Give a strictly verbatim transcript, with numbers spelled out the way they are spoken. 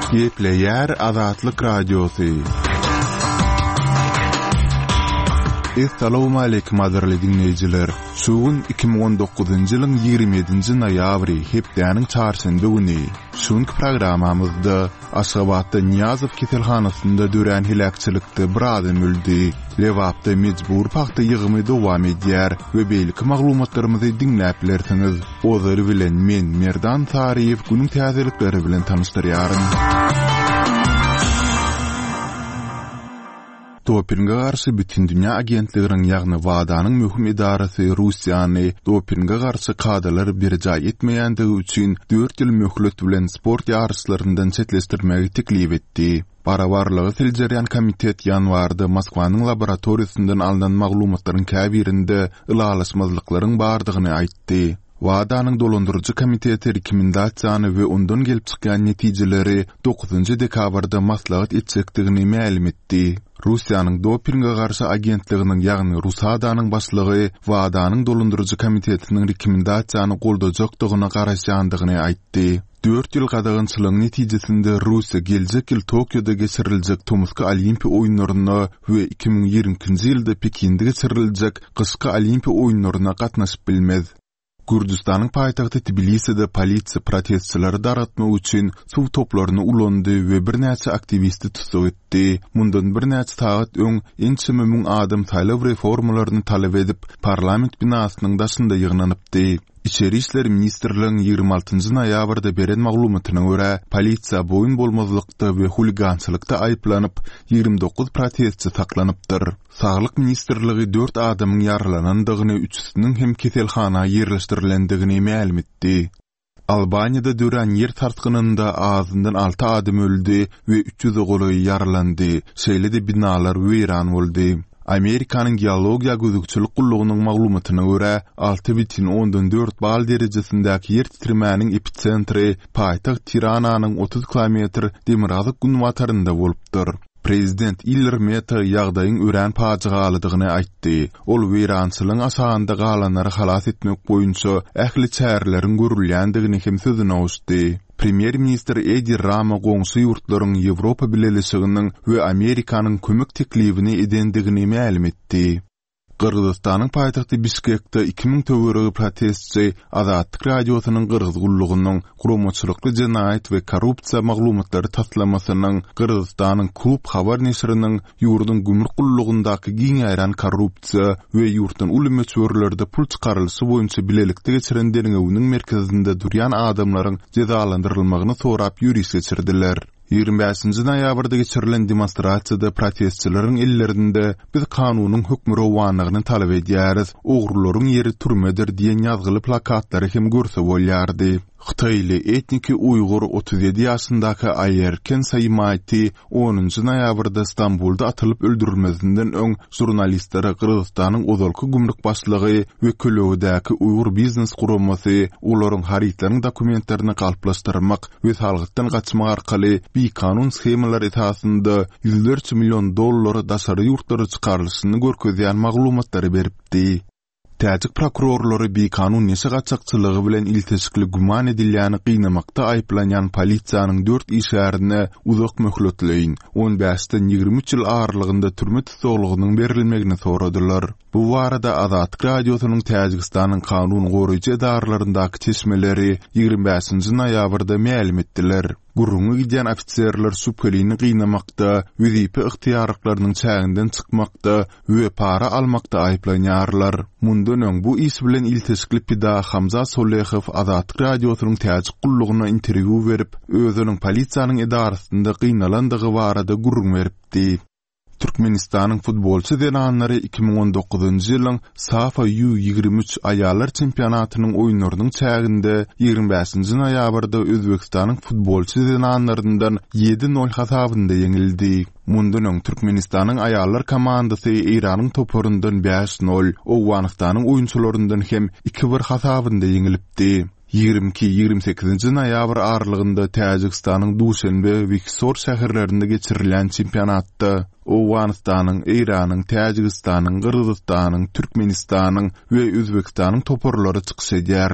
Gepleýär Azatlyk Radiosy. Essalawmaleýkim gadyrly diňleýjiler! Şu gün iki müň on dokuzynjy ýylyň ýigrimi ýedinji noýabry, hepdäniň çarşenbe güni. Şu günki programmamyzda Aşgabatda Nyýazow keselhanasynda dörän heläkçilikde bir adam öldi, Lebapda mejbury pagta ýygymy dowam edýär we beýleki maglumatlarymyzy diňläp bilersiňiz. Ozaly bilen men, Merdan Saryýew günüň täzelikleri bilen tanyşdyrýaryn. Dopinge garşy Bütindünýä agentliginiň, ýagny WADA-nyň möhüm edarasy Russiýany dopinge garşy kadalary berjaý etmeýändigi üçin dört ýyl möhlet bilen sport ýaryşlaryndan çetleşdirmegi teklip etdi. Barabarlygy seljerýän komitet ýanwarda Moskwanyň laboratoriýasyndan alnan maglumatlaryň käbirinde ylalaşmazlyklaryň bardygyny aýtdy. WADA-nyň dolandyryjy komiteti rekomendasiýany we ondan gelip çykýan netijeleri dokuzynjy dekabrda maslahat etjekdigini mälim etdi. Russiýanyň dopinge garşy agentliginiň, ýagny RUSADA-nyň başlygy WADA-nyň dolandyryjy komitetiniň rekomendasiýany goldajakdygyna garaşýandygyny aýtdy. Dört ýyl gadagançylygyň netijesinde Russiýa geljek ýyl Tokioda geçiriljek tomusky Olimpiýa oýunlaryna we iki müň ýigrimi ikinji ýylda Pekinde geçiriljek gyşky Olimpiýa oýunlaryna gatnaşyp bilmez. Gürjüstanyň paýtagty Tbiliside polisiýa protestçileri dargatmak üçin suw toplaryny ulandy we birnäçe aktiwisti tussag etdi. Mundan birnäçe sagat öň ençeme müň adam saýlaw reformalaryny talap edip, parlament binasynyň daşynda ýygnanypdy. Içeri işler ministrligiň ýigrimi altynjy noýabrda beren maglumatyna görä, polisiýa boýun bolmazlykda we huligançylykda aýyplanyp, ýigrimi dokuz protestçi saklanypdyr. Saglyk ministrligi dört adamyň ýaralanandygyny, üçüsiniň hem keselhana ýerleşdirilendigini mälim etdi. Albaniýada dörän ýer sarsgynynda azyndan alty adam öldi we üç ýüze golaýy ýaralandy, şeýle-de binalar weýran boldy. Amerikanyň Geologiýa gözegçilik gullugynyň maglumatyna görä, alty bütin ondan dört bal derejesindäki ýer titremäniň episentri paýtagt Tirananyň otuz kilometr demirgazyk-günbatarynda bolupdyr. Prezident Ilir Meta ýagdaýyň örän pajygalydygyny aýtdy. Ol weýrançylygyň aşagynda galanlary halas etmek boýunça ähli çäreleriň görülýändigini hem sözüne goşdy. Premýer-ministr Edi Rama goňşy ýurtlaryň Ýewropa Bileleşiginiň we Amerikanyň kömek teklibini edendigini mälim etdi. Gyrgyzystanyň paýtagty Bişkekde iki müň töweregi protestçi Azatlyk Radiosynyň Gyrgyz gullugynyň Guramaçylykly jenaýat we korrupsiýa maglumatlary taslamasynyň Gyrgyzystanyň Klub habar neşiriniň ýurduň gümrük gullugyndaky giň ýaýran korrupsiýa we ýurtdan uly möçberlerde pul çykarylyşy boýunça bilelikde geçiren derňewiniň merkezinde durýan adamlaryň jezalandyrylmagyny sorap ýöriş geçirdiler. Ýigrimi bäşinji noýabrda geçirilen demonstrasiýada protestçileriň ellerinde Biz kanunyň hökmürowanlygyny talap edýäris, ogrularyň ýeri türmedir diýen ýazgyly plakatlary hem görse bolýardy. Hytaýly etniki uýgur otuz ýedi ýaşyndaky Aýerken Saýmaýti onunjy noýabrda Stambulda atylyp öldürilmezinden öň žurnalistlere Gyrgyzystanyň ozalky gümrük başlygy we kölegedäki uýgur biznes guramasy olaryň harytlaryň dokumentlerini galplaşdyrmak we salgytdan gaçmak arkaly bikanun shemalar esasynda ýüzlerçe million dollar daşary ýurtlara çykarylyşyny görkezýän maglumatlary beripdi. Täjik prokurorlary bikanun neşe gaçakçylygy bilen ilteşikli güman edilýäni gynamakda aýyplanýan polisiýanyň dört işgärine uzak möhletleýin, on bäşden ýigrimi üç ýyl aralygynda türme tussaglygynyň berilmegini soradylar. Bu barada Azatlyk Radiosynyň Täjigistanyň kanun goraýjy edaralaryndaky çeşmeleri ýigrimi bäşinji noýabrda mälim etdiler. Gürrüňi gidýän ofiserler şübhelini gynamakda, wezipe ygtyýarlyklarynyň çäginden çykmakda we para almakda aýyplanýarlar. Mundan öň bu iş bilen ilteşikli pida Hamza Solehow Azatlyk Radiosynyň Täjik gullugyna interwýu berip, özüniň polisiýanyň edarasynda gynalandygy barada gürrüň beripdi. Türkmenistanyň futbolçy zenanlary iki müň on dokuzynjy ýylyň SAFA U ýigrimi üç aýallar çempionatynyň oýunlarynyň çäginde ýigrimi bäşinji noýabrda Özbegistanyň futbolçy zenanlaryndan ýedi nol hasabynda ýeňildi. Mundan öň Türkmenistanyň aýallar komandasy Eýranyň toparyndan bäş nol, Owganystanyň oýunçylaryndan hem iki bir hasabynda ýeňilipdi. Ýigrimi iki, ýigrimi sekizinji noýabr aralygynda Täjigistanyň Duşenbe we Hisor şäherlerinde geçirilýän çempionatda Owganystanyň, Eýranyň, Täjigistanyň, Gyrgyzystanyň, Türkmenistanyň we Özbegistanyň toparlary çykyş edýärler.